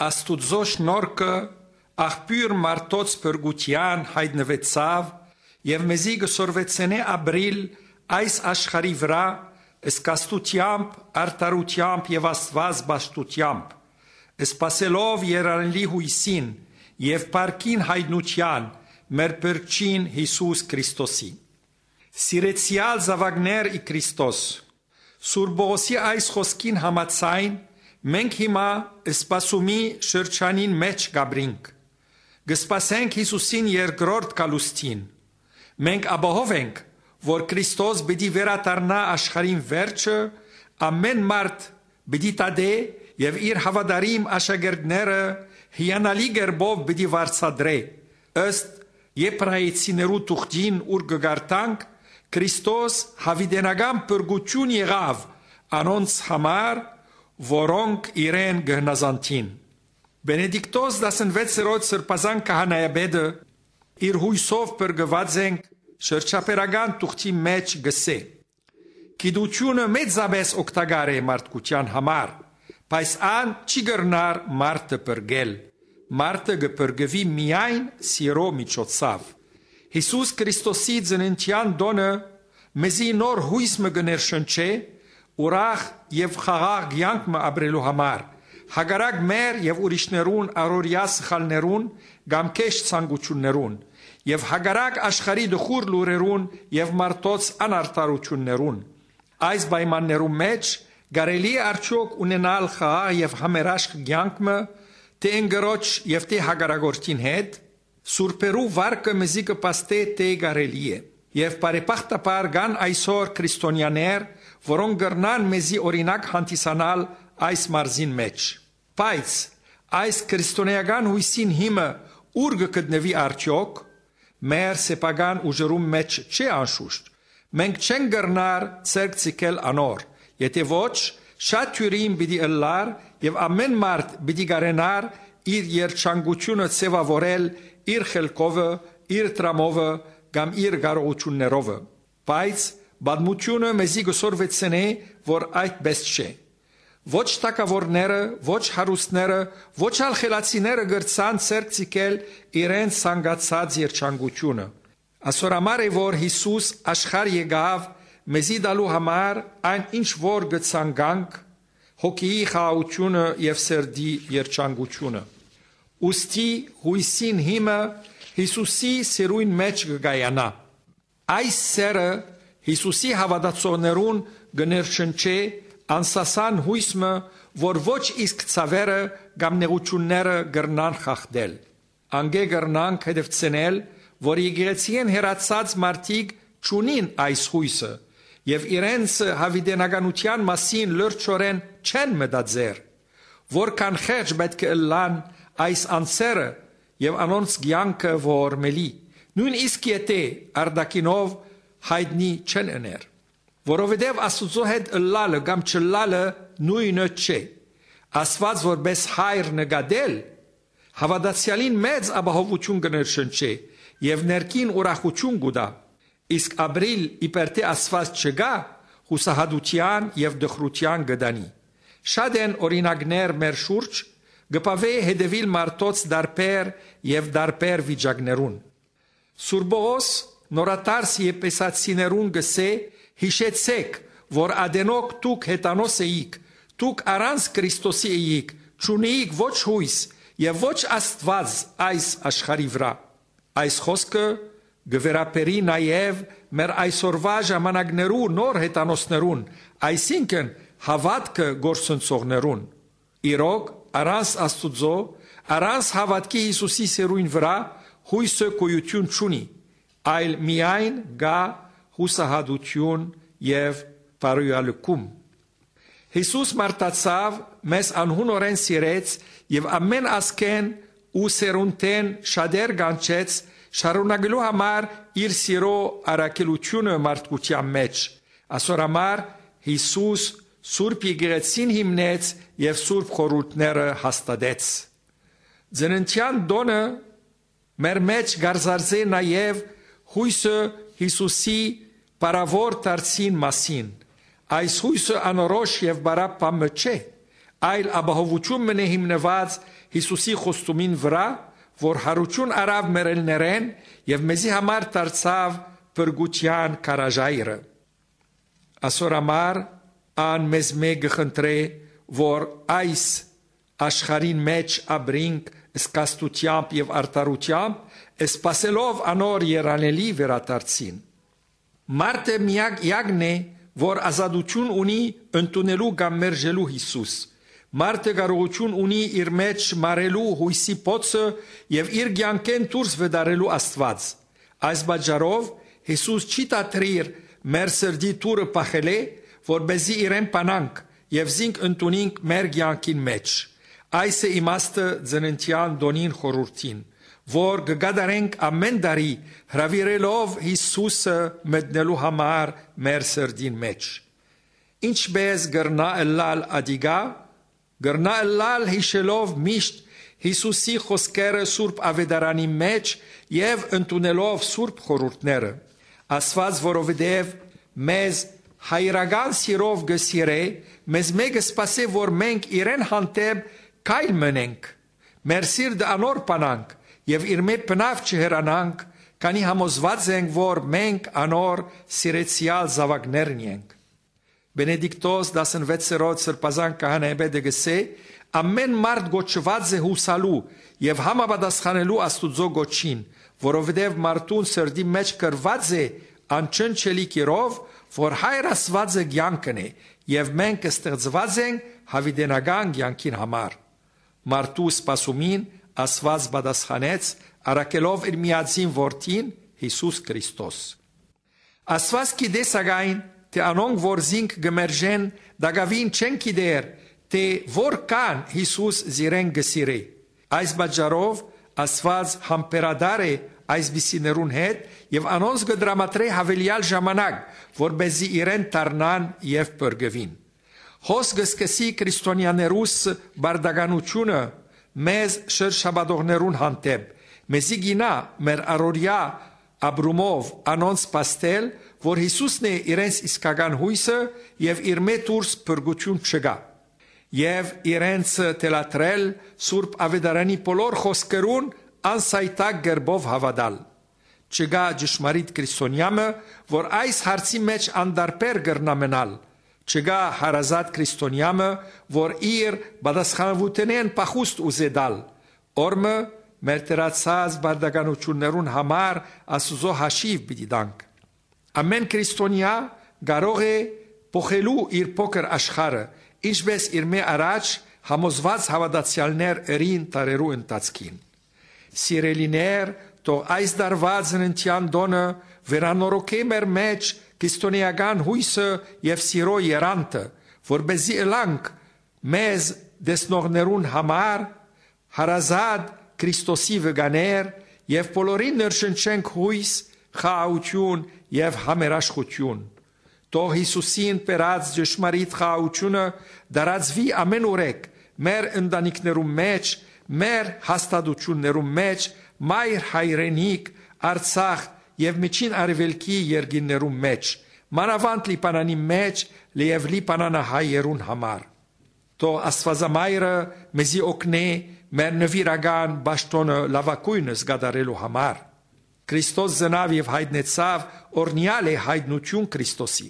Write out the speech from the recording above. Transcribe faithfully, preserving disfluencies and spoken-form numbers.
Աստուծոյ շնորհքը, աղբիւր մարդոց փրկութեան, յայտնուեցաւ եւ մեզի կը սորվեցնէ ապրիլ այս աշխարհի վրայ զգաստութեամբ, արդարութեամբ եւ Աստուած պաշտութեամբ, սպասելով երանելի յոյսին եւ փառքին յայտնութեան մեր Փրկչին Յիսուս Քրիստոսի։ Սիրեցեալ զաւակներ ի Քրիստոս, Սուրբ Պողոսի այս խօսքին համաձայն, մենք հիմա սպասումի շրջանին մէջ կ'ապրինք։ Կը սպասենք Յիսուսին երկրորդ գալուստին։ Մենք ապահով ենք, որ Քրիստոս պիտի վերադառնայ աշխարհին վերջը, ամէն մարդ պիտի դատէ եւ իր հաւատարիմ աշակերտները հիանալի կերպով պիտի վարձատրէ, ըստ Եբրայեցիներու թուղթին, ուր կը կարդանք. «Քրիստոս յաւիտենական փրկութիւն եղաւ անոնց համար, որոնք իրեն կը հնազանդին»։ Բենեդիկտոս տասնվեցերորդ սրբազան քահանայապետը, իր յոյսով փրկուած ենք, շրջաբերական թուղթի մէջ կ'ըսէ. «Գիտութիւնը մեծապէս օգտակար է մարդկութեան համար, բայց ան չի կրնար մարդը փրկել։ Մարդը կը փրկուի միայն սիրո միջոցով»։ Յիսուս Քրիստոսի ծննդեան տօնը մեզի նոր յոյս մը կը ներշնչէ, ուրախ եւ խաղաղ կեանք մը ապրելու համար, հակառակ մեր եւ ուրիշներուն առօրեայ սխալներուն կամ քեշ ցանկութիւններուն, եւ հակառակ աշխարհի տխուր լուրերուն եւ մարդոց անարդարութիւններուն։ Այս պայմաններու մէջ կարելի՞ է արդեօք ունենալ խաղաղ եւ համերաշխ կեանք մը, թէ ընկերոջ եւ թէ հակառակորդին հետ։ Սուրբերու վարկը մեզի կը փաստէ թէ կարելի է, եւ բարեբախտաբար կան այսօր քրիստոնեաներ, որոնք կրնան մեզի օրինակ հանդիսանալ այս մարզին մէջ։ Բայց այս քրիստոնէական յոյսին հիմը ո՞ւր կը գտնուի արդեօք։ Մեր սեփական ուժերուն մէջ չէ անշուշտ։ Մենք չենք կրնար ձեռք ձգել անոր, եթէ ոչ, շատ դիւրին պիտի ըլլար եւ ամէն մարդ պիտի կարենար իր երջանկութիւնը ձեւաւորել իր խելքովը, իր տրամովը կամ իր կարողութիւններովը։ Բայց պատմութիւնը մեզի կը սորվեցնէ, որ այդպէս չէ։ Ոչ թագաւորները, ոչ հարուստները, ոչ ալ խելացիները կրցան ձեռք ձգել իրենց ցանկացած երջանկութիւնը։ Ասոր համար է, որ Յիսուս աշխարհ եկաւ մեզի տալու համար այն, ինչ որ կը ցանկանք, հոգիի խաղաղութիւնը եւ սրտի երջանկութիւնը։ Ուստի յոյսին հիմը Յիսուսի սիրոյն մէջ կը կայանայ։ Այս սերը Յիսուսի հաւատացողներուն կը ներշնչէ անսասան յոյս մը, որ ոչ իսկ ցաւերը կամ նեղութիւնները կրնան խախտել։ Անկէ կրնանք հետեւցնել, որ եկեղեցիէն հեռացած մարդիկ չունին այս յոյսը եւ իրենց յաւիտենականութեան մասին լրջորեն չեն մտածեր։ Որքան խեղճ պէտք է ըլլան այս անձերը եւ անոնց կեանքը որ մելի, նոյնիսկ եթէ արտաքինով յայտնի չեն ըներ։ Որովհետեւ Աստուծոյ հետ ըլլալը կամ չըլլալը նոյնը չէ։ Աստուած որպէս հայր նկատել, հաւատացեալին մեծ ապահովութիւն կը ներշնչէ եւ ներքին ուրախութիւն կու տայ։ Իսկ ապրիլ իբր թէ Աստուած չկայ, յուսահատութեան եւ տխրութեան կը տանի։ Շատ են օրինակներ մեր շուրջ, կը բաւէ հետեւիլ մարդոց տարբեր եւ տարբեր վիճակներուն։ Սուրբ Պողոս նորադարձ Եփեսացիներուն կ'ըսէ. «Յիշեցէք, որ ատենօք դուք հեթանոս էիք, դուք առանց Քրիստոսի էիք, չունէիք ոչ յոյս եւ ոչ Աստուած այս աշխարհի վրայ»։ Այս խօսքը կը վերաբերի նաեւ մեր այսօրուայ ժամանակներու նոր հեթանոսներուն, այսինքն՝ հաւատքը կորսնցողներուն։ Իրոք, առանց Աստուծոյ, առանց հաւատքի Յիսուսի սիրոյն վրայ, յոյսը գոյութիւն չունի, այլ միայն կայ յուսահատութիւն եւ բարոյալքում։ Յիսուս մարդացաւ, մեզ անհունորեն սիրեց եւ ամէն ազգէն ու սերունդէն շատեր կանչեց՝ շարունակելու համար իր սիրոյ առաքելութիւնը մարդկութեան մէջ։ Ասոր համար Յիսուս Սուրբ Եկեղեցին հիմնեց եւ Սուրբ Խորհուրդները հաստատեց։ Ծննդեան տօնը մեր մէջ կ'արծարծէ նաեւ յոյսը Յիսուսի փառաւոր դարձին մասին։ Այս յոյսը անորոշ եւ պարապ բան մը չէ։ այլ ապահովութիւն մնէ հիմնուած Յիսուսի խոստումին վրայ, որ յարութիւն առաւ մեռելներէն եւ մեզի համար դարձաւ փրկութեան քարաժայռը։ Ասոր համար ան մեզմէ կը խնդրէ, որ այս աշխարհին մէջ ապրինք զգաստութեամբ եւ արդարութեամբ, սպասելով անոր երանելի վերադարձին։ Մարդը միակ իակն է, որ ազատութիւն ունի ընդունելու կամ մերժելու Յիսուս։ Մարդը կարողութիւն ունի իր մէջ մարելու յոյսի փոցը եւ իր կեանքէն դուրս վտարելու Աստուած։ Այս պատճառով Յիսուս չի դադրիր մեր սրտի դուռը փախելէ, որպեսզի իրեն բանանք եւ զինք ընդունինք մեր կեանքին մէջ։ Այս է իմաստը ծննդեան տօնին խորհուրդին, որ կը կատարենք ամէն տարի, հրաւիրելով Յիսուսը մտնելու համար մեր սրտին մէջ։ Ինչպէս կրնայ ըլլալ ատիկա, կրնայ ըլլալ յիշելով միշտ Յիսուսի խօսքերը Սուրբ Աւետարանի մէջ եւ ընդունելով Սուրբ խորհուրդները։ Աստուած, որովհետեւ մեզ հայրական սիրով կը սիրէ, մեզմէ կը սպասէ, որ մենք իրեն հանդէպ քայլ մնենք, մեր սիրտը անոր բանանք եւ իրմէ բնաւ չհեռանանք, քանի համոզուած ենք, որ մենք անոր սիրեցեալ զաւակներն ենք։ Բենեդիկտոս տասնվեցերորդ սրբազան քահանայապետը կ'ըսէ. «Ամէն մարդ կոչուած է յուսալու եւ համապատասխանելու Աստուծոյ կոչին, որովհետեւ մարդուն սրտի մէջ գրուած է անչնչելի կերով, որ Հայր Աստուածը կեանքն է, եւ մենք ստեղծուած ենք յաւիտենական կեանքին համար»։ Մարդու սպասումին Աստուած պատասխանեց՝ առաքելով իր միածին Որդին՝ Յիսուս Քրիստոս։ Աստուած գիտէ, սակայն, թէ անոնք, որ զինք կը մերժեն, տակաւին չեն գիտեր, թէ որքան Յիսուս զիրեն կը սիրէ։ Այս պատճառով Աստուած համբերատար է այսպիսիներուն հետ եւ անոնց կը տրամադրէ յաւելեալ ժամանակ, որպեսզի իրեն դառնան եւ փրկուին։ Հոս կը սկսի քրիստոնեաներուս պարտականութիւնը մեզ շրջապատողներուն հանդէպ, մեզի կ'իյնայ մեր առօրեայ ապրումով անոնց փաստել, որ Յիսուսն է իրենց իսկական յոյսը եւ իրմէ դուրս փրկութիւն չկայ։ Եւ իրենց թելադրել Սուրբ Աւետարանի բոլոր խօսքերուն անսայթակ կերպով հաւատալ։ Չկայ ճշմարիտ քրիստոնեայ մը, որ այս հարցի մէջ անտարբեր կրնայ մնալ։ Չկայ հարազատ քրիստոնեայ մը, որ իր պատասխանաւութենէն փախուստ ուզէ տալ։ Օրմը մեր դրացած պարտականութիւններուն համար Աստուծոյ հաշիւ պիտի տանք։ Ամէն քրիստոնեայ կարող է փոխելու իր փոքր աշխարհը, ինչպէս իրմէ առաջ համոզուած հաւատացեալներ ըրին դարերու ընթացքին։ Սիրելիներ, թող այս տարուայ ծննդեան տօնը վերանորոգէ մեր մէջ քրիստոնէական յոյսը եւ սիրոյ երանդը, որպեսզի ըլլանք մեզ տեսնողներուն համար հարազատ Քրիստոսի վկաներ եւ բոլորին ներշնչենք յոյս, խաղաղութիւն եւ համերաշխութիւն։ Թող Յիսուսին բերած ճշմարիտ խաղաղութիւնը տարածուի ամէնուրեք մեր ընտանիքներուն մէջ, մեր հաստատութիւններուն մէջ, մայր հայրենիք, Արցախ եւ Միջին Արեւելքի երկիրներուն մէջ, մանաւանդ Լիբանանի մէջ եւ լիբանանահայերուն համար։ Թող Աստուածամայրը մեզի օգնէ մեր նուիրական պաշտօնը լաւագոյնս կատարելու համար։ Քրիստոս ծնաւ եւ յայտնեցաւ, օրհնեալ է յայտնութիւն Քրիստոսի։